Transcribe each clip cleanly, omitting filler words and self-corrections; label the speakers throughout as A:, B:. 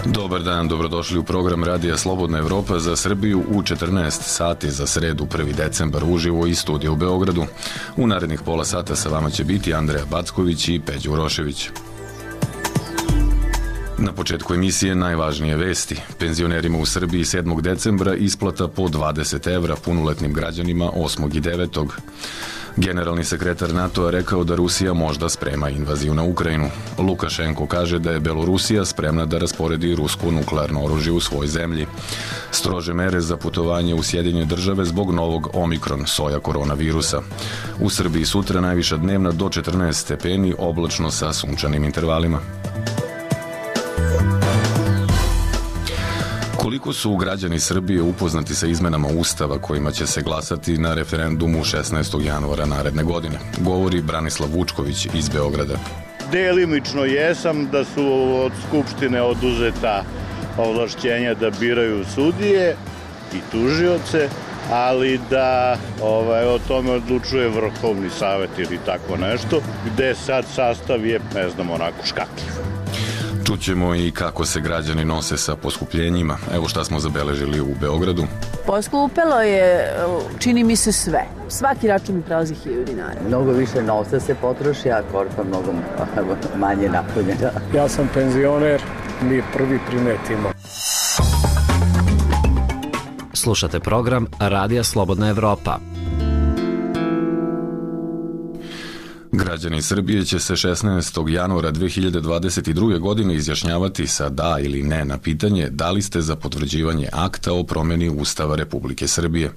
A: Dobar dan, dobrodošli u program Radija Slobodna Evropa za Srbiju u 14 sati za sredu 1. decembar uživo iz studija u Beogradu. U narednih pola sata sa vama će biti Andreja Backović i Peđa Urošević. Na početku emisije najvažnije vesti. Penzionerima u Srbiji 7. decembra isplata po 20 evra punoletnim građanima 8. i 9. Generalni sekretar NATO-a rekao da Rusija možda sprema invaziju na Ukrajinu. Lukašenko kaže da je Belorusija spremna da rasporedi rusko nuklearno oružje u svoj zemlji. Strože mere za putovanje u Sjedinjene države zbog novog omikron soja koronavirusa. U Srbiji sutra najviša dnevna do 14 stepeni, oblačno sa sunčanim intervalima. Koliko su građani Srbije upoznati sa izmenama Ustava kojima će se glasati na referendumu 16. januara naredne godine, govori Branislav Vučković iz Beograda.
B: Delimično jesam da su od Skupštine oduzeta ovlašćenja da biraju sudije i tužioce, ali da o tome odlučuje Vrhovni savet ili tako nešto, gde sad sastav je, ne znam, onako škakljiv.
A: Čućemo i kako se građani nose sa poskupljenjima. Evo šta smo zabeležili u Beogradu.
C: Poskupelo je, čini mi se, sve. Svaki račun mi prelazi 1000 dinara.
D: Mnogo više novca se potroši, a korpa mnogo manje napunjena.
E: Ja sam penzioner, mi prvi primetimo.
F: Slušate program Radija Slobodna Evropa.
A: Građani Srbije će se 16. januara 2022. godine izjašnjavati sa da ili ne na pitanje da li ste za potvrđivanje akta o promeni Ustava Republike Srbije.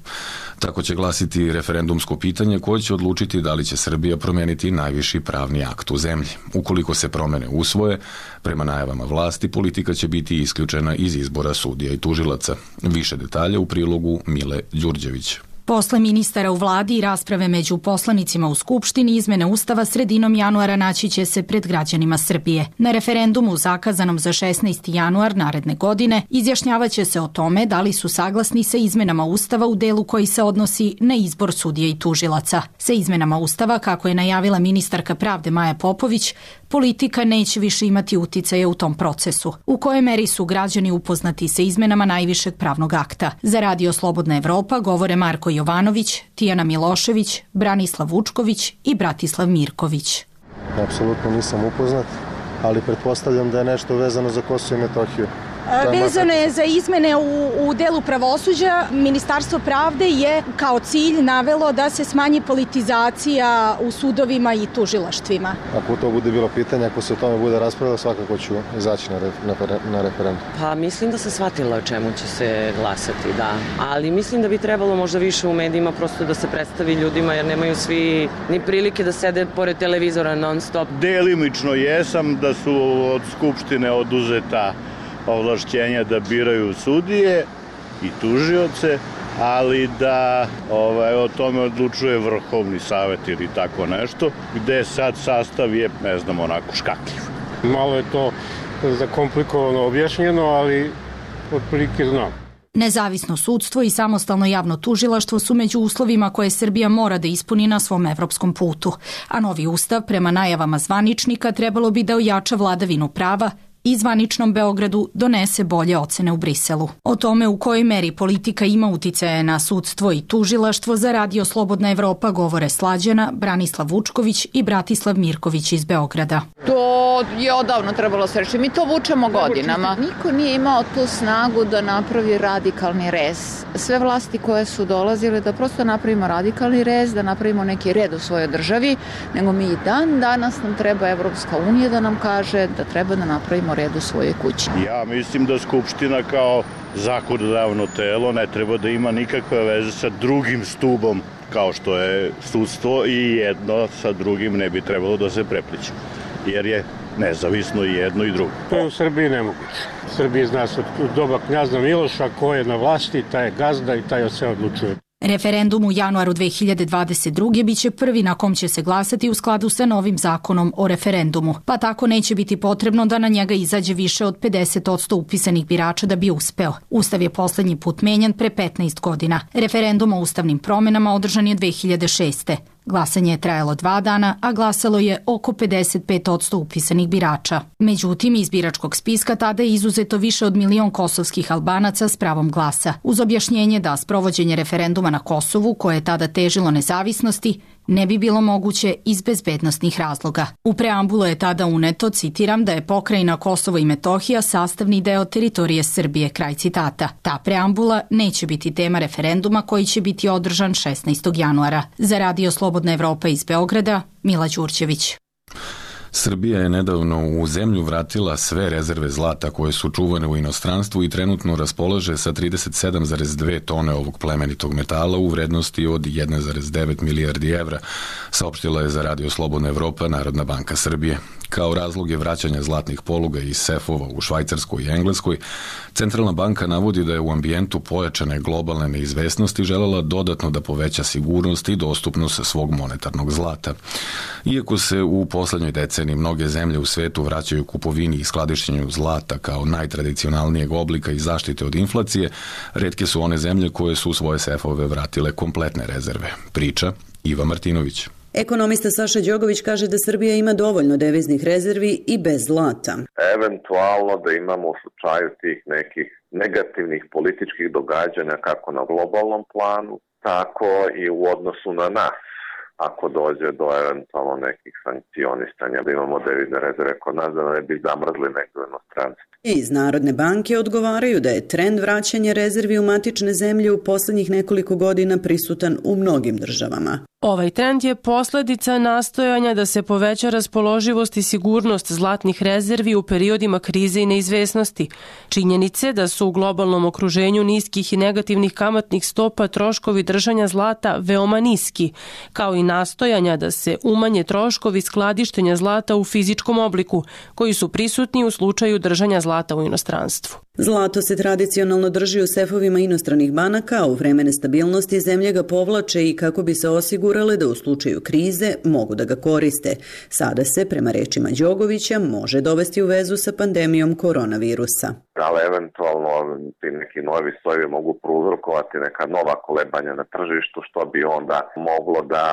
A: Tako će glasiti referendumsko pitanje koje će odlučiti da li će Srbija promeniti najviši pravni akt u zemlji. Ukoliko se promene usvoje, prema najavama vlasti, politika će biti isključena iz izbora sudija i tužilaca. Više detalja u prilogu Mile Đurđević.
G: Posle ministara u vladi i rasprave među poslanicima u Skupštini, izmene Ustava sredinom januara naći će se pred građanima Srbije. Na referendumu zakazanom za 16. januar naredne godine izjašnjavaće se o tome da li su saglasni sa izmenama Ustava u delu koji se odnosi na izbor sudija i tužilaca. Sa izmenama Ustava, kako je najavila ministarka pravde Maja Popović, politika neće više imati uticaja u tom procesu. U kojoj meri su građani upoznati sa izmenama najvišeg pravnog akta? Za Radio Slobodna Evropa govore Marko Jovanović, Tijana Milošević, Branislav Vučković i Bratislav Mirković.
H: Apsolutno nisam upoznat, ali pretpostavljam da je nešto vezano za Kosovo i Metohiju.
I: Vezano je za izmene u delu pravosuđa. Ministarstvo pravde je kao cilj navelo da se smanji politizacija u sudovima i tužilaštvima.
H: Ako to bude bilo pitanje, ako se o tome bude raspravljalo, svakako ću izaći na referendum.
J: Pa mislim da se shvatila o čemu će se glasati, da. Ali mislim da bi trebalo možda više u medijima prosto da se predstavi ljudima, jer nemaju svi ni prilike da sede pored televizora non stop.
B: Delimično jesam da su od Skupštine oduzeta ovlašćenja da biraju sudije i tužioce, ali da o tome odlučuje Vrhovni savet ili tako nešto, gde sad sastav je, ne znam, onako škakljiv.
E: Malo je to zakomplikovano objašnjeno, ali otprilike znam.
G: Nezavisno sudstvo i samostalno javno tužilaštvo su među uslovima koje Srbija mora da ispuni na svom evropskom putu, a novi ustav, prema najavama zvaničnika, trebalo bi da ojača vladavinu prava i zvaničnom Beogradu donese bolje ocene u Briselu. O tome u kojoj meri politika ima uticaje na sudstvo i tužilaštvo za Radio Slobodna Evropa govore Slađana, Branislav Vučković i Bratislav Mirković iz Beograda.
K: To je odavno trebalo se reći. Mi to vučemo godinama. Niko nije imao tu snagu da napravi radikalni rez. Sve vlasti koje su dolazile da prosto napravimo radikalni rez, da napravimo neki red u svojoj državi, nego mi i dan danas nam treba Evropska unija da nam kaže da treba da napravimo red u svojoj kući.
B: Ja mislim da Skupština kao zakonodavno telo ne treba da ima nikakve veze sa drugim stubom kao što je sudstvo i jedno sa drugim ne bi trebalo da se prepliče, jer je nezavisno i jedno i drugo.
E: To je u Srbiji nemoguće. U Srbiji zna se od doba knjaza Miloša ko je na vlasti, taj je gazda i taj od sve odlučuje.
G: Referendum u januaru 2022. biće prvi na kom će se glasati u skladu sa novim zakonom o referendumu, pa tako neće biti potrebno da na njega izađe više od 50% upisanih birača da bi uspeo. Ustav je poslednji put menjan pre 15 godina. Referendum o ustavnim promenama održan je 2006. Glasanje je trajalo 2 dana, a glasalo je oko 55% upisanih birača. Međutim, iz biračkog spiska tada je izuzeto više od 1 milion kosovskih Albanaca s pravom glasa, uz objašnjenje da sprovođenje referenduma na Kosovu, koje je tada težilo nezavisnosti, ne bi bilo moguće iz bezbednostnih razloga. U preambulu je tada uneto, citiram, da je pokrajina Kosovo i Metohija sastavni deo teritorije Srbije, kraj citata. Ta preambula neće biti tema referenduma koji će biti održan 16. januara. Za Radio Slobodna Evropa iz Beograda, Mila Đurđević.
A: Srbija je nedavno u zemlju vratila sve rezerve zlata koje su čuvane u inostranstvu i trenutno raspolaže sa 37,2 tone ovog plemenitog metala u vrednosti od 1,9 milijardi evra, saopštila je za Radio Slobodna Evropa Narodna banka Srbije. Kao razlog je vraćanja zlatnih poluga iz sefova u Švajcarskoj i Engleskoj, Centralna banka navodi da je u ambijentu pojačane globalne neizvesnosti želela dodatno da poveća sigurnost i dostupnost svog monetarnog zlata. Iako se u poslednjoj deceniji mnoge zemlje u svetu vraćaju kupovini i skladištenju zlata kao najtradicionalnijeg oblika i zaštite od inflacije, retke su one zemlje koje su u svoje sefove vratile kompletne rezerve. Priča Iva Martinović.
L: Ekonomista Saša Đogović kaže da Srbija ima dovoljno deviznih rezervi i bez zlata.
M: Eventualno da imamo u slučaju tih nekih negativnih političkih događanja kako na globalnom planu, tako i u odnosu na nas. Ako dođe do eventualno nekih sankcionisanja, da imamo devizne rezerve kod nas, da ne bi zamrzli neko inostranstvo.
L: Iz Narodne banke odgovaraju da je trend vraćanja rezervi u matične zemlje u poslednjih nekoliko godina prisutan u mnogim državama.
N: Ovaj trend je posledica nastojanja da se poveća raspoloživost i sigurnost zlatnih rezervi u periodima krize i neizvesnosti. Činjenice da su u globalnom okruženju niskih i negativnih kamatnih stopa troškovi držanja zlata veoma niski, kao i nastojanja da se umanje troškovi skladištenja zlata u fizičkom obliku, koji su prisutni u slučaju držanja zlata u inostranstvu.
L: Zlato se tradicionalno drži u sefovima inostranih banaka, a u vreme nestabilnosti zemlje ga povlače i kako bi se osigurale da u slučaju krize mogu da ga koriste. Sada se, prema rečima Đogovića, može dovesti u vezu sa pandemijom koronavirusa.
M: Ali eventualno ti neki novi sojevi mogu prouzrokovati neka nova kolebanja na tržištu, što bi onda moglo da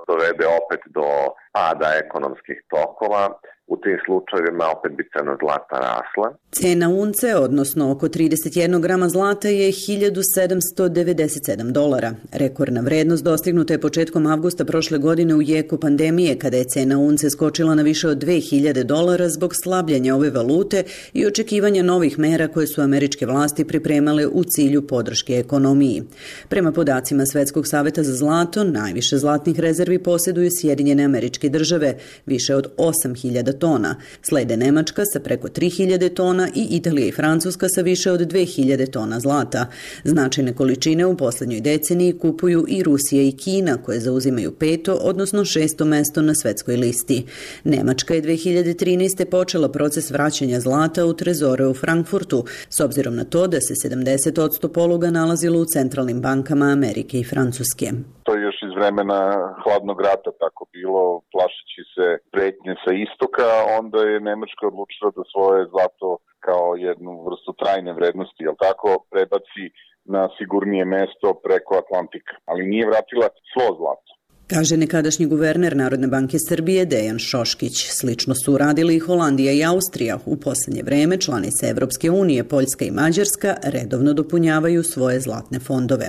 M: dovede opet do pada ekonomskih tokova. U tim slučajevima opet bi cena zlata rasla.
L: Cena unce, odnosno oko 31 grama zlata, je $1.797. Rekordna vrednost dostignuta je početkom avgusta prošle godine u jeku pandemije, kada je cena unce skočila na više od $2.000 zbog slabljenja ove valute i očekivanja novih mera koje su američke vlasti pripremale u cilju podrške ekonomiji. Prema podacima Svetskog saveta za zlato, najviše zlatnih rezervi posjeduju Sjedinjene Američke Države, više od 8.000 tona. Slede Nemačka sa preko 3.000 tona i Italija i Francuska sa više od 2.000 tona zlata. Značajne količine u poslednjoj deceniji kupuju i Rusija i Kina, koje zauzimaju 5., odnosno 6. mesto na svetskoj listi. Nemačka je 2013. počela proces vraćanja zlata u trezore u Frankfurtu, s obzirom na to da se 70% poluga nalazilo u centralnim bankama Amerike i Francuske.
O: To je još iz vremena hladnog rata tako bilo, plašeći se pretnje sa istoka, onda je Nemačka odlučila da svoje zlato kao jednu vrstu trajne vrednosti, jel tako, prebaci na sigurnije mesto preko Atlantika, ali nije vratila svo zlato.
L: Kaže nekadašnji guverner Narodne banke Srbije Dejan Šoškić. Slično su uradili i Holandija i Austrija. U poslednje vreme članice Evropske unije, Poljska i Mađarska, redovno dopunjavaju svoje zlatne fondove.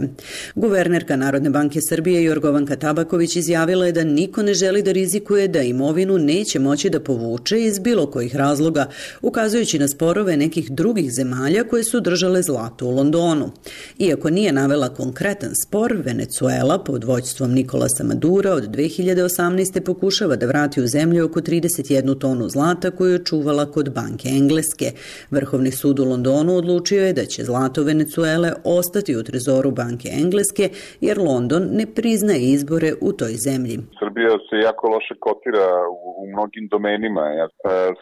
L: Guvernerka Narodne banke Srbije Jorgovanka Tabaković izjavila je da niko ne želi da rizikuje da imovinu neće moći da povuče iz bilo kojih razloga, ukazujući na sporove nekih drugih zemalja koje su držale zlato u Londonu. Iako nije navela konkretan spor, Venecuela pod vođstvom Nikolasa Madura od 2018. pokušava da vrati u zemlju oko 31 tonu zlata koju je čuvala kod banke Engleske. Vrhovni sud u Londonu odlučio je da će zlato Venecuele ostati u trezoru banke Engleske, jer London ne priznaje izbore u toj zemlji.
O: Srbija se jako loše kotira u mnogim domenima.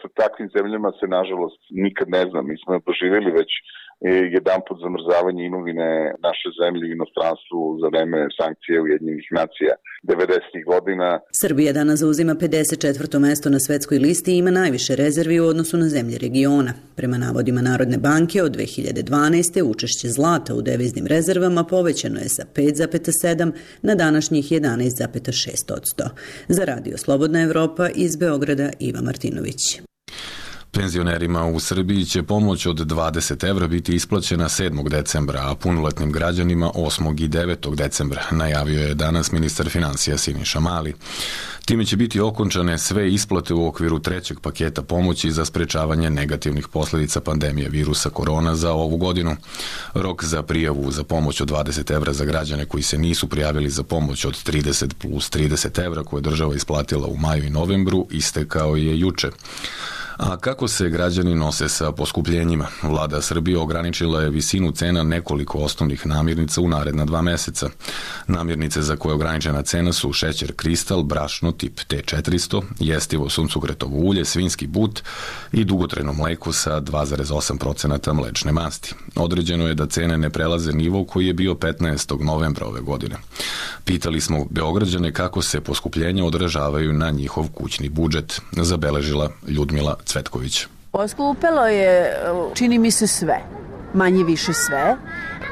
O: Sa takvim zemljama se, nažalost, nikad ne znam. Mi smo doživjeli već jedanput zamrzavanje imovine naše zemlje u inostranstvu za vreme sankcije Ujedinjenih nacija 90. godina.
L: Srbija danas zauzima 54. mesto na svetskoj listi i ima najviše rezervi u odnosu na zemlje regiona. Prema navodima Narodne banke, od 2012. učešće zlata u deviznim rezervama povećano je sa 5,7 na današnjih 11,6%. Za Radio Slobodna Evropa iz Beograda Iva Martinović.
A: Penzionerima u Srbiji će pomoć od 20 evra biti isplaćena 7. decembra, a punoletnim građanima 8. i 9. decembra, najavio je danas ministar finansija Siniša Mali. Time će biti okončane sve isplate u okviru trećeg paketa pomoći za sprečavanje negativnih posledica pandemije virusa korona za ovu godinu. Rok za prijavu za pomoć od 20 evra za građane koji se nisu prijavili za pomoć od 30 plus 30 evra koje država isplatila u maju i novembru istekao je juče. A kako se građani nose sa poskupljenjima? Vlada Srbije ograničila je visinu cena nekoliko osnovnih namirnica u naredna 2 meseca. Namirnice za koje je ograničena cena su šećer kristal, brašno tip T400, jestivo suncokretovo ulje, svinjski but i dugotrajno mleko sa 2,8% mlečne masti. Određeno je da cene ne prelaze nivo koji je bio 15. novembra ove godine. Pitali smo Beograđane kako se poskupljenja odražavaju na njihov kućni budžet, zabeležila Ljudmila Cvetković.
C: Poskupelo je, čini mi se, sve, manje više sve.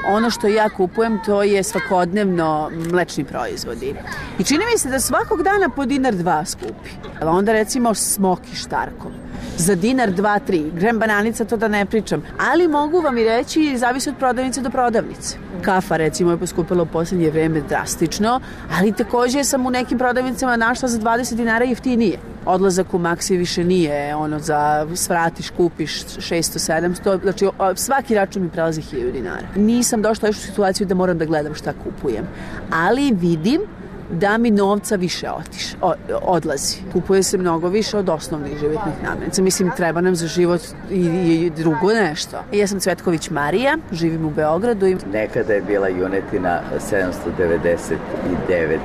C: Ono što ja kupujem to je svakodnevno mlečni proizvodi. I čini mi se da svakog dana po $1-2 skupi. Onda recimo smoki štarkom. Za $1-2-3. Grem bananica, to da ne pričam. Ali mogu vam i reći, zavisi od prodavnice do prodavnice. Kafa recimo je poskupila u poslednje vreme drastično, ali takođe sam u nekim prodavnicama našla za $20 jeftinije. Odlazak u Maxi više nije za svratiš, kupiš 600-700, znači svaki račun mi prelazi $1000. Nisam došla još u situaciju da moram da gledam šta kupujem, ali vidim da mi novca više odlazi. Kupuje se mnogo više od osnovnih životnih namirnica. Mislim, treba nam za život i drugo nešto. Ja sam Cvetković Marija, živim u Beogradu.
D: Nekada je bila junetina $799,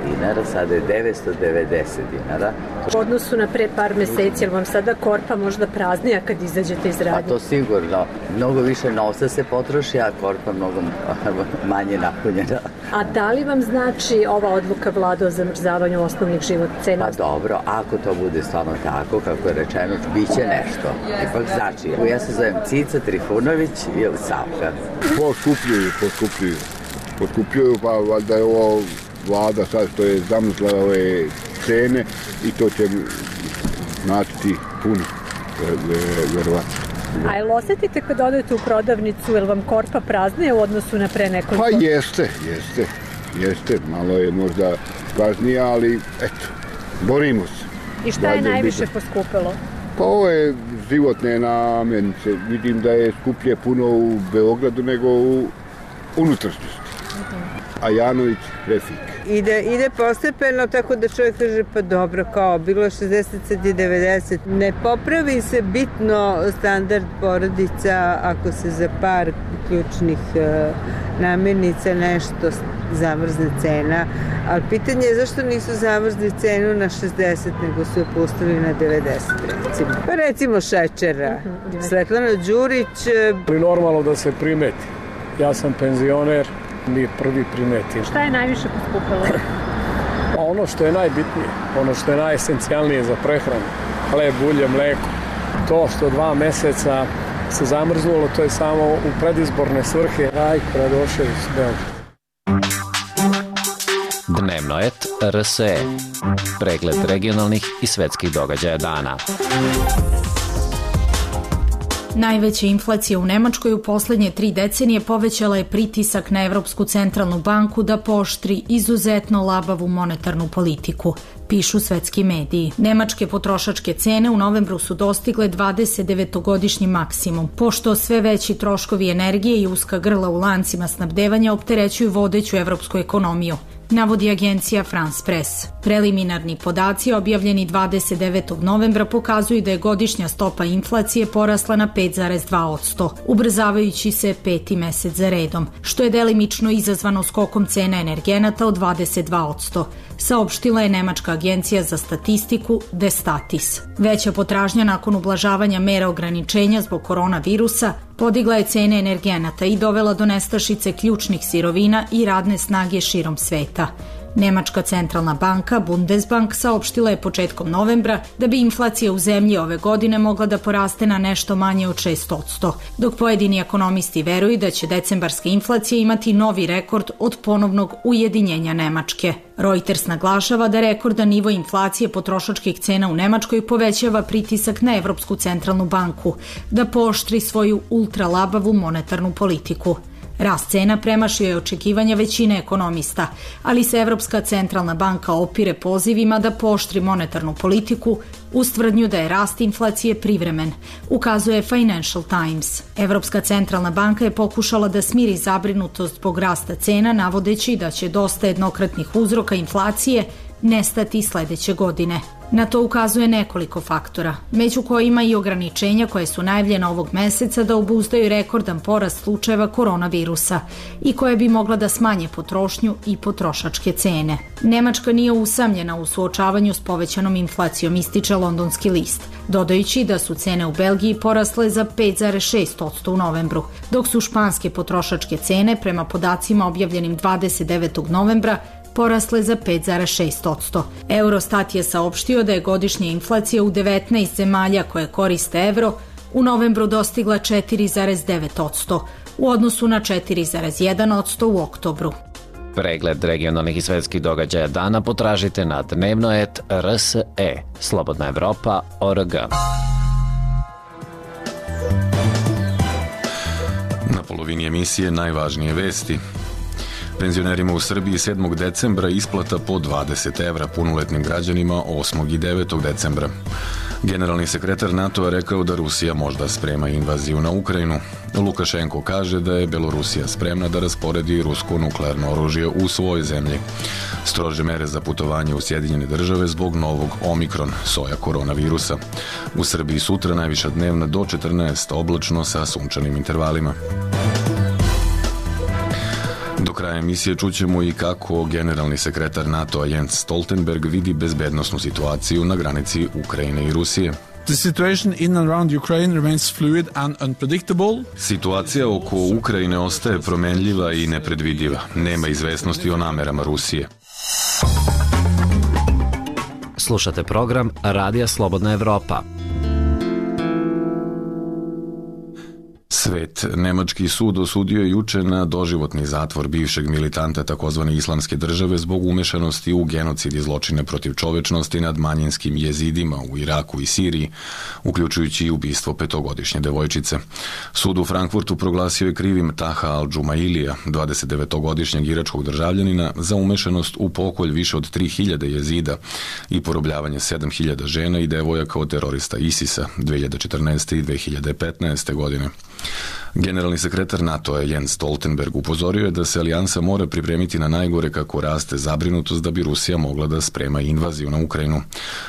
D: sada je $990.
P: U odnosu na pre par meseci, jer vam sada korpa možda praznija kad izađete iz radnje?
D: Pa to sigurno. Mnogo više novca se potroši, a korpa mnogo manje napunjena.
P: A da li vam znači ova odluka vlada o zamrzavanju osnovnih životnih cena?
D: Pa dobro, ako to bude stvarno tako, kako je rečeno, biće nešto. Ipak znači, ja se zovem Cica Trifunović ili Savka.
Q: Poskupljuju, pa valjda je ovo vlada sad što je zamrzla ove cene i to će značiti puno, verovatno.
P: A jel osetite kad odete u prodavnicu, jel vam korpa praznije u odnosu na pre nekoliko?
Q: Pa jeste, malo je možda praznija, ali eto, borimo se.
P: I šta je najviše poskupilo?
Q: Pa ovo je životne namirnice. Vidim da je skuplje puno u Beogradu nego u unutrašnjosti. A Janović Refik.
R: Ide postepeno, tako da čovjek kaže pa dobro, kao bilo je 60, sad je 90. Ne popravi se bitno standard porodica ako se za par ključnih namirnica nešto zamrzne cena, ali pitanje je zašto nisu zamrzli cenu na 60, nego su je pustili na 90, recimo. Pa recimo šećera. Svetlana Đurić.
S: Normalno da se primeti. Ja sam penzioner, mi prvi primetimo.
P: Šta je najviše poskupilo?
S: Ono što je najbitnije, ono što je najesencijalnije za prehranu, hleb, ulje, mleko. To što 2 meseca se zamrznulo, to je samo u predizborne svrhe. Rajko Radošević, Beograd.
F: Dnevno et RSE. Pregled regionalnih i svetskih događaja dana.
G: Najveća inflacija u Nemačkoj u poslednje 3 decenije povećala je pritisak na Evropsku centralnu banku da pooštri izuzetno labavu monetarnu politiku, pišu svetski mediji. Nemačke potrošačke cene u novembru su dostigle 29-godišnji maksimum, pošto sve veći troškovi energije i uska grla u lancima snabdevanja opterećuju vodeću evropsku ekonomiju, navodi agencija France Press. Preliminarni podaci objavljeni 29. novembra pokazuju da je godišnja stopa inflacije porasla na 5,2%, ubrzavajući se 5. mesec za redom, što je delimično izazvano skokom cena energenata od 22%, saopštila je nemačka agencija za statistiku Destatis. Veća potražnja nakon ublažavanja mera ograničenja zbog koronavirusa podigla je cene energenata i dovela do nestašice ključnih sirovina i radne snage širom sveta. Nemačka centralna banka Bundesbank saopštila je početkom novembra da bi inflacija u zemlji ove godine mogla da poraste na nešto manje od 6%, dok pojedini ekonomisti veruju da će decembarska inflacija imati novi rekord od ponovnog ujedinjenja Nemačke. Reuters naglašava da rekordan nivo inflacije potrošačkih cena u Nemačkoj povećava pritisak na Evropsku centralnu banku da pooštri svoju ultralabavu monetarnu politiku. Rast cena premašio je očekivanja većine ekonomista, ali se Evropska centralna banka opire pozivima da pooštri monetarnu politiku uz tvrdnju da je rast inflacije privremen, ukazuje Financial Times. Evropska centralna banka je pokušala da smiri zabrinutost zbog rasta cena, navodeći da će dosta jednokratnih uzroka inflacije nestati sledeće godine. Na to ukazuje nekoliko faktora, među kojima i ograničenja koje su najavljena ovog meseca da obuzdaju rekordan porast slučajeva koronavirusa i koje bi mogla da smanje potrošnju i potrošačke cene. Nemačka nije usamljena u suočavanju s povećanom inflacijom, ističe Londonski list, dodajući da su cene u Belgiji porasle za 5,6% u novembru, dok su španske potrošačke cene prema podacima objavljenim 29. novembra porasle za 5,6%. Eurostat je saopštio da je godišnja inflacija u 19 zemalja koje koriste evro u novembru dostigla 4,9% u odnosu na 4,1% u oktobru.
F: Pregled regionalnih i svetskih događaja dana potražite na dnevno.rse, slobodnaevropa.org.
A: Na polovini emisije najvažnije vesti. Penzionerima u Srbiji 7. decembra isplata po 20 evra, punoletnim građanima 8. i 9. decembra. Generalni sekretar NATO-a rekao da Rusija možda sprema invaziju na Ukrajinu. Lukašenko kaže da je Belorusija spremna da rasporedi rusko nuklearno oružje u svojoj zemlji. Strože mere za putovanje u Sjedinjene države zbog novog Omikron, soja koronavirusa. U Srbiji sutra najviša dnevna do 14, oblačno sa sunčanim intervalima. Do kraja emisije čućemo i kako generalni sekretar NATO-a Jens Stoltenberg vidi bezbednosnu situaciju na granici Ukrajine i Rusije.
T: The situation in and around Ukraine remains fluid and unpredictable.
A: Situacija oko Ukrajine ostaje promenljiva i nepredvidiva. Nema izvesnosti o namerama Rusije.
F: Slušate program Radija Slobodna Evropa.
A: Svet. Nemački sud osudio je juče na doživotni zatvor bivšeg militanta takozvane islamske države zbog umešanosti u genocid i zločine protiv čovečnosti nad manjinskim jezidima u Iraku i Siriji, uključujući i ubistvo 5-godišnje devojčice. Sud u Frankfurtu proglasio je krivim Taha al-Džumailija, 29-godišnjeg iračkog državljanina, za umešanost u pokolj više od 3000 jezida i porobljavanje 7000 žena i devojaka od terorista ISIS-a 2014. i 2015. godine. Generalni sekretar NATO-a Jens Stoltenberg upozorio je da se alijansa mora pripremiti na najgore kako raste zabrinutost da bi Rusija mogla da sprema invaziju na Ukrajinu.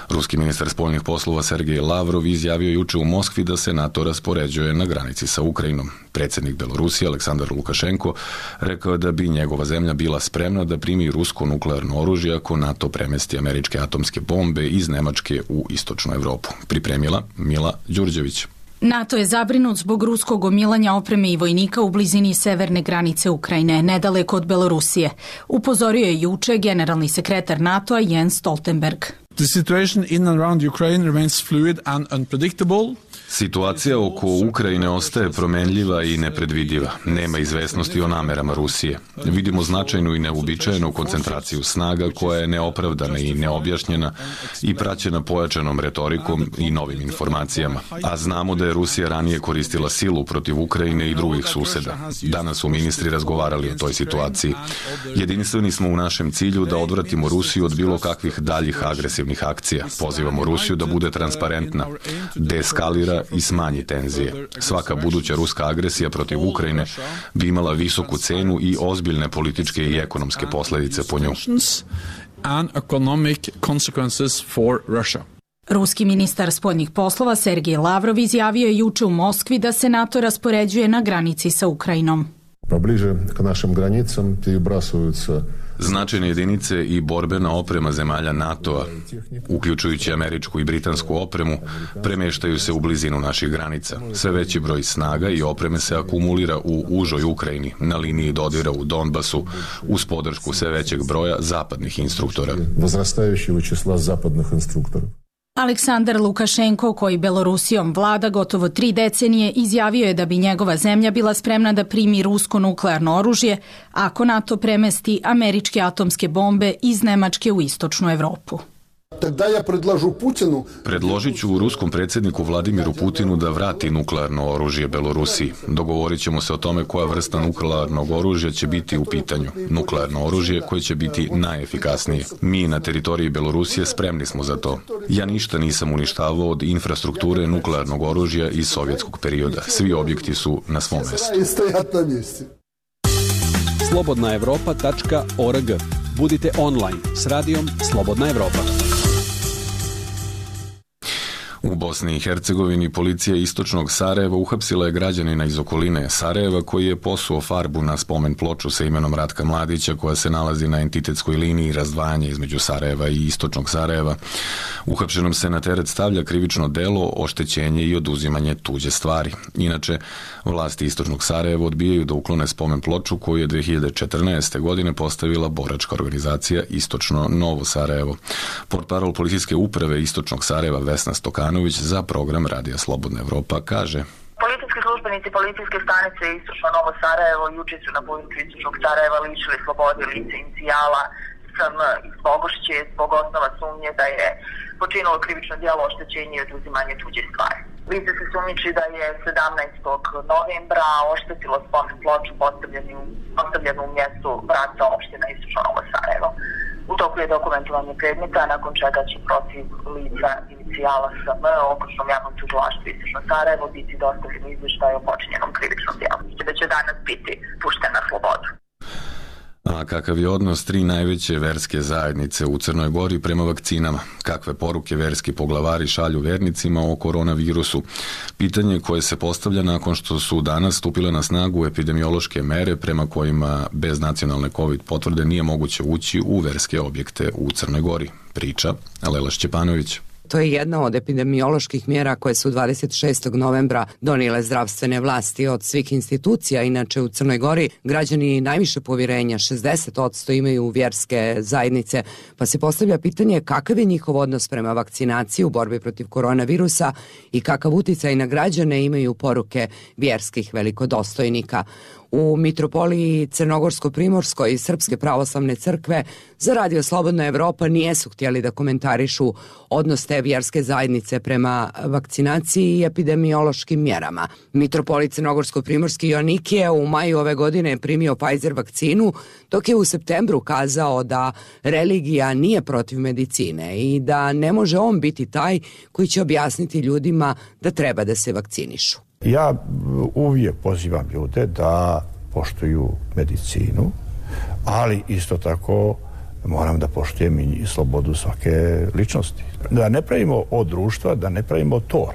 A: Ruski ministar spoljnih poslova Sergej Lavrov izjavio juče u Moskvi da se NATO raspoređuje na granici sa Ukrajinom. Predsjednik Belorusije Aleksandar Lukašenko rekao da bi njegova zemlja bila spremna da primi rusko nuklearno oružje ako NATO premesti američke atomske bombe iz Nemačke u istočnu Evropu. Pripremila Mila Đurđević.
G: NATO je zabrinut zbog ruskog gomilanja opreme i vojnika u blizini severne granice Ukrajine, nedaleko od Belorusije. Upozorio je juče generalni sekretar NATO-a Jens Stoltenberg.
T: The situation in and around Ukraine remains fluid and unpredictable.
A: Situacija oko Ukrajine ostaje promenljiva i nepredvidiva. Nema izvesnosti o namerama Rusije. Vidimo značajnu i neuobičajenu koncentraciju snaga koja je neopravdana i neobjašnjena i praćena pojačanom retorikom i novim informacijama. A znamo da je Rusija ranije koristila silu protiv Ukrajine i drugih suseda. Danas su ministri razgovarali o toj situaciji. Jedinstveni smo u našem cilju da odvratimo Rusiju od bilo kakvih daljih agresivnih akcija. Pozivamo Rusiju da bude transparentna, deeskalira i smanji tenzije. Svaka buduća ruska agresija protiv Ukrajine bi imala visoku cenu i ozbiljne političke i ekonomske posledice po nju.
T: and economic consequences for Russia.
G: Ruski ministar spoljnih poslova Sergej Lavrov izjavio je juče u Moskvi da se NATO raspoređuje na granici sa Ukrajinom.
U: Pobliže k našim granicama перебрасываются
A: značajne jedinice i borbena oprema zemalja NATO-a, uključujući američku i britansku opremu, premeštaju se u blizinu naših granica. Sve veći broj snaga i opreme se akumulira u užoj Ukrajini, na liniji dodira u Donbasu, uz podršku sve većeg broja zapadnih instruktora.
U: Возрастающего числа западных инструкторов.
G: Aleksandar Lukašenko, koji Belorusijom vlada gotovo 3 decenije, izjavio je da bi njegova zemlja bila spremna da primi rusko nuklearno oružje ako NATO premesti američke atomske bombe iz Nemačke u istočnu Evropu.
A: Predložit ću ruskom predsjedniku Vladimiru Putinu da vrati nuklearno oružje Belorusiji. Dogovorit ćemo se o tome koja vrsta nuklearnog oružja će biti u pitanju. Nuklearno oružje koje će biti najefikasnije. Mi na teritoriji Belorusije spremni smo za to. Ja ništa nisam uništavao od infrastrukture nuklearnog oružja iz sovjetskog perioda. Svi objekti su na svom mjestu.
V: slobodnaevropa.org. Budite online s radijom Slobodna Evropa.
A: U Bosni i Hercegovini policija istočnog Sarajeva uhapsila je građanina iz okoline Sarajeva koji je posuo farbu na spomen ploču sa imenom Ratka Mladića koja se nalazi na entitetskoj liniji razdvajanja između Sarajeva i istočnog Sarajeva. Uhapšenom se na teret stavlja krivično delo, oštećenje i oduzimanje tuđe stvari. Inače, vlasti istočnog Sarajeva odbijaju da uklone spomen ploču koju je 2014. godine postavila boračka organizacija Istočno Novo Sarajevo. Portparol policijske uprave istočnog Sarajeva Vesna Stokanović za program Radija Slobodna Evropa kaže:
W: Policijski službenici policijske stanice Istočno Novo Sarajevo juče su na području Istočnog Sarajeva lišili slobode lice inicijala SM iz Bogošće zbog osnova sumnje da je počinilo krivično djelo oštećenje i oduzimanje tuđe stvari. Lice se sumnjiči da je 17. novembra oštetilo spomen ploču postavljenu u mjestu Vrata opština Istočno Novo Sarajevo. U toku je dokumentovanje predmeta, nakon čega će protiv lica inicijala SM okružnom javnom tužilaštvu Istočno Sarajevo biti dostavljen izvještaj o počinjenom krivičnom djelu. Da će danas biti pušten na slobodu.
A: A kakav je odnos 3 najveće verske zajednice u Crnoj Gori prema vakcinama? Kakve poruke verski poglavari šalju vernicima o koronavirusu? Pitanje koje se postavlja nakon što su danas stupile na snagu epidemiološke mere prema kojima bez nacionalne COVID potvrde nije moguće ući u verske objekte u Crnoj Gori. Priča Lela Šćepanović.
X: To je jedna od epidemioloških mjera koje su 26. novembra donijele zdravstvene vlasti od svih institucija. Inače u Crnoj Gori građani najviše povjerenja, 60% imaju vjerske zajednice, pa se postavlja pitanje kakav je njihov odnos prema vakcinaciji u borbi protiv koronavirusa i kakav uticaj na građane imaju poruke vjerskih velikodostojnika. U Mitropoliji Crnogorsko-Primorskoj i Srpske pravoslavne crkve za Radio Slobodna Evropa nijesu htjeli da komentarišu odnos te vjerske zajednice prema vakcinaciji i epidemiološkim mjerama. Mitropolit Crnogorsko-Primorski Joannikije u maju ove godine primio Pfizer vakcinu, dok je u septembru kazao da religija nije protiv medicine i da ne može on biti taj koji će objasniti ljudima da treba da se vakcinišu.
Y: Ja uvijek pozivam ljude da poštuju medicinu, ali isto tako moram da poštujem i slobodu svake ličnosti. Da ne pravimo od društva, da ne pravimo tor,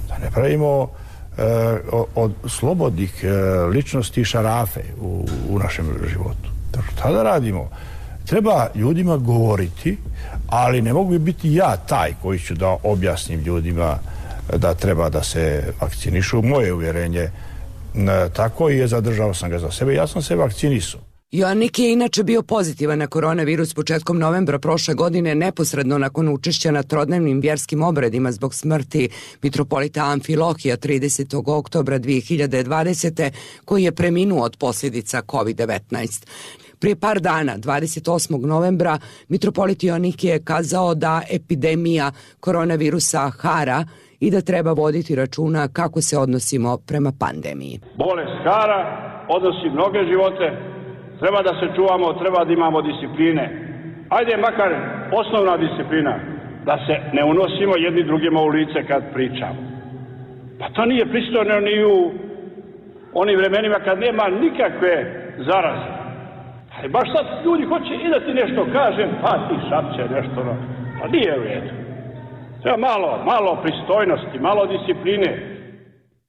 Y: da ne pravimo od slobodnih ličnosti šarafe u našem životu. Šta da radimo? Treba ljudima govoriti, ali ne mogu biti ja taj koji ću da objasnim ljudima da treba da se vakcinišu. Moje uvjerenje tako i zadržao sam ga za sebe. Ja sam se vakcinisao.
X: Joannik je inače bio pozitivan na koronavirus početkom novembra prošle godine, neposredno nakon učešća na trodnevnim vjerskim obredima zbog smrti mitropolita Amfilohija 30. oktobra 2020. koji je preminuo od posljedica COVID-19. Prije par dana, 28. novembra, mitropolit Joannik je kazao da epidemija koronavirusa hara i da treba voditi računa kako se odnosimo prema pandemiji.
Z: Bolest hara, odnosi mnoge živote, treba da se čuvamo, treba da imamo discipline. Ajde makar osnovna disciplina, da se ne unosimo jedni drugima u lice kad pričamo. Pa to nije pristojno ni u onim vremenima kad nema nikakve zaraze. Ali baš sad ljudi hoće i da ti nešto kažem, pa ti šapće nešto. Pa nije u redu. Treba malo pristojnosti, malo discipline.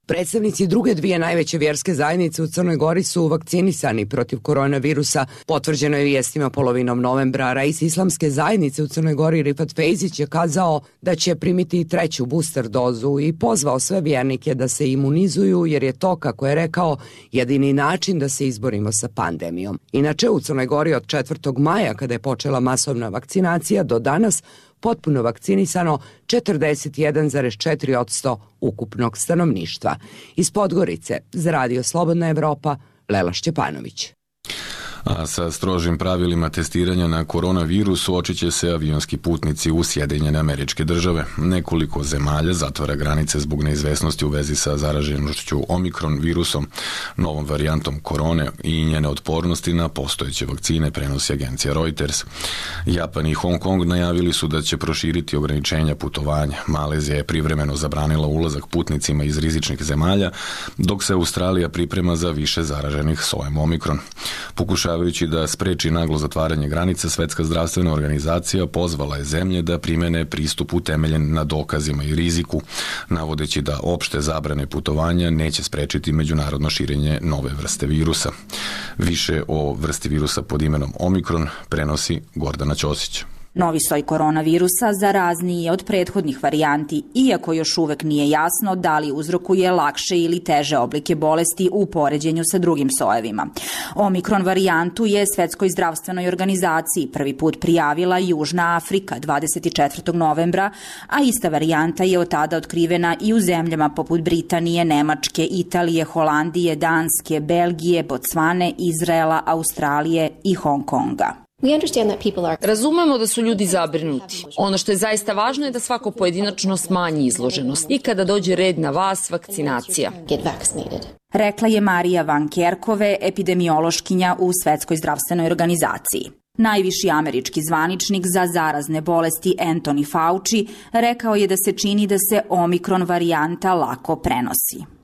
X: Predstavnici druge dvije najveće vjerske zajednice u Crnoj Gori su vakcinisani protiv koronavirusa. Potvrđeno je vijestima polovinom novembra. Rais islamske zajednice u Crnoj Gori Rifat Fejzić je kazao da će primiti treću booster dozu i pozvao sve vjernike da se imunizuju jer je to, kako je rekao, jedini način da se izborimo sa pandemijom. Inače, u Crnoj Gori od 4. maja, kada je počela masovna vakcinacija, do danas potpuno vakcinisano 41,4% ukupnog stanovništva. Iz Podgorice za Radio Slobodna Evropa, Lela Šćepanović.
A: A sa strožim pravilima testiranja na koronavirus suočit će se avionski putnici u Sjedinjene Američke Države. Nekoliko zemalja zatvara granice zbog neizvesnosti u vezi sa zaraženošću omikron virusom, novom varijantom korone i njene otpornosti na postojeće vakcine, prenosi agencija Reuters. Japan i Hong Kong najavili su da će proširiti ograničenja putovanja. Malezija je privremeno zabranila ulazak putnicima iz rizičnih zemalja, dok se Australija priprema za više zaraženih sojem omikron. Pokušavajući da spreči naglo zatvaranje granica, Svetska zdravstvena organizacija pozvala je zemlje da primene pristup utemeljen na dokazima i riziku, navodeći da opšte zabrane putovanja neće sprečiti međunarodno širenje nove vrste virusa. Više o vrsti virusa pod imenom omikron prenosi Gordana Ćosić.
B: Novi soj koronavirusa zarazniji je od prethodnih varijanti, iako još uvek nije jasno da li uzrokuje lakše ili teže oblike bolesti u poređenju sa drugim sojevima. Omikron varijantu je Svetskoj zdravstvenoj organizaciji prvi put prijavila Južna Afrika 24. novembra, a ista varijanta je od tada otkrivena i u zemljama poput Britanije, Nemačke, Italije, Holandije, Danske, Belgije, Bocvane, Izraela, Australije i Hong Konga.
E: Razumemo da su ljudi zabrinuti. Ono što je zaista važno je da svako pojedinačno smanji izloženost i kada dođe red na vas, vakcinacija.
B: Rekla je Marija Van Kerkove, epidemiološkinja u Svetskoj zdravstvenoj organizaciji. Najviši američki zvaničnik za zarazne bolesti Anthony Fauci rekao je da se čini da se omikron varijanta lako prenosi.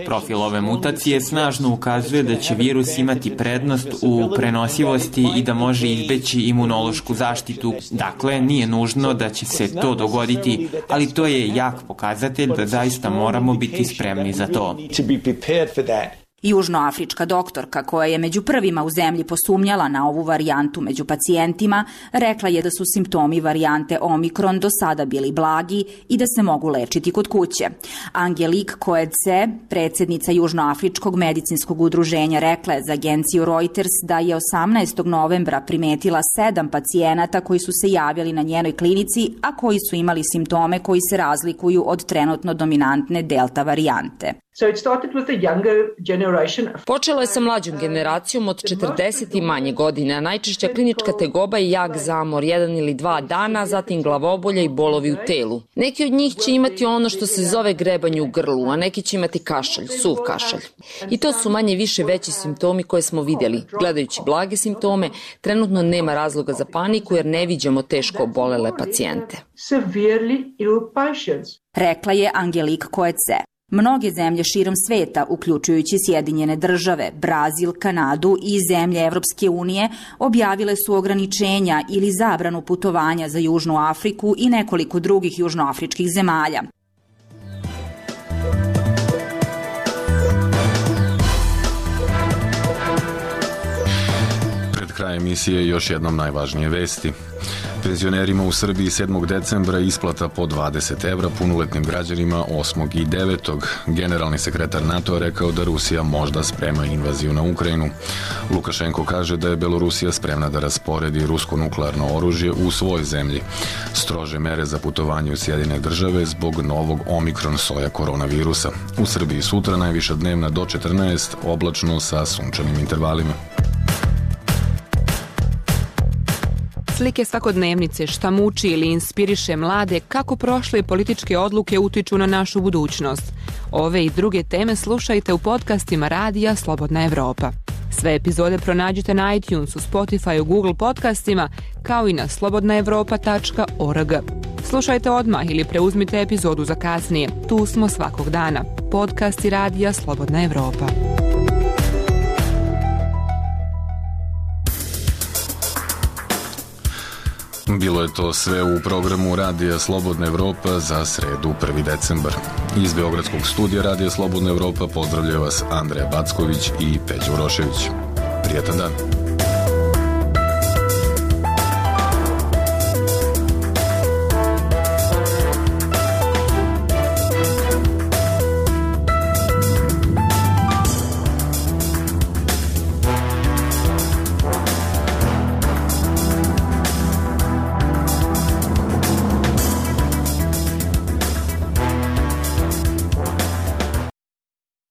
H: Profil ove mutacije snažno ukazuje da će virus imati prednost u prenosivosti i da može izbeći imunološku zaštitu. Dakle, nije nužno da će se to dogoditi, ali to je jak pokazatelj da zaista moramo biti spremni za to.
B: Južnoafrička doktorka, koja je među prvima u zemlji posumnjala na ovu varijantu među pacijentima, rekla je da su simptomi varijante omikron do sada bili blagi i da se mogu lečiti kod kuće. Angelique Coetzee, predsjednica Južnoafričkog medicinskog udruženja, rekla je za agenciju Reuters da je 18. novembra primetila 7 pacijenata koji su se javili na njenoj klinici, a koji su imali simptome koji se razlikuju od trenutno dominantne delta varijante.
E: Počelo je sa mlađom generacijom od 40 i manje godina. Najčešća klinička tegoba je jak zamor, 1 ili 2 dana, zatim glavobolja i bolovi u telu. Neki od njih će imati ono što se zove grebanje u grlu, a neki će imati kašalj, suv kašalj. I to su manje više veći simptomi koje smo vidjeli. Gledajući blage simptome, trenutno nema razloga za paniku jer ne viđamo teško obolele pacijente.
B: Rekla je Angelique Coetzee. Mnoge zemlje širom sveta, uključujući Sjedinjene države, Brazil, Kanadu i zemlje Evropske unije, objavile su ograničenja ili zabranu putovanja za Južnu Afriku i nekoliko drugih južnoafričkih zemalja.
A: Pred krajem emisije još jednom najvažnije vesti. Penzionerima u Srbiji 7. decembra isplata po 20 evra, punoletnim građanima 8. i 9. Generalni sekretar NATO rekao da Rusija možda sprema invaziju na Ukrajinu. Lukašenko kaže da je Belorusija spremna da rasporedi rusko nuklearno oružje u svojoj zemlji. Strože mere za putovanje u Sjedinjene države zbog novog omikron soja koronavirusa. U Srbiji sutra najviša dnevna do 14, oblačno sa sunčanim intervalima.
I: Slike svakodnevnice, šta muči ili inspiriše mlade, kako prošle političke odluke utiču na našu budućnost. Ove i druge teme slušajte u podcastima Radija Slobodna Evropa. Sve epizode pronađite na iTunesu, Spotifyu, Google podcastima, kao i na slobodnaevropa.org. Slušajte odmah ili preuzmite epizodu za kasnije. Tu smo svakog dana. Podcasti Radija Slobodna Evropa.
A: Bilo je to sve u programu Radija Slobodna Evropa za sredu 1. decembar. Iz Beogradskog studija Radija Slobodna Evropa pozdravljaju vas Andreja Backović i Peđa Urošević. Prijetan dan.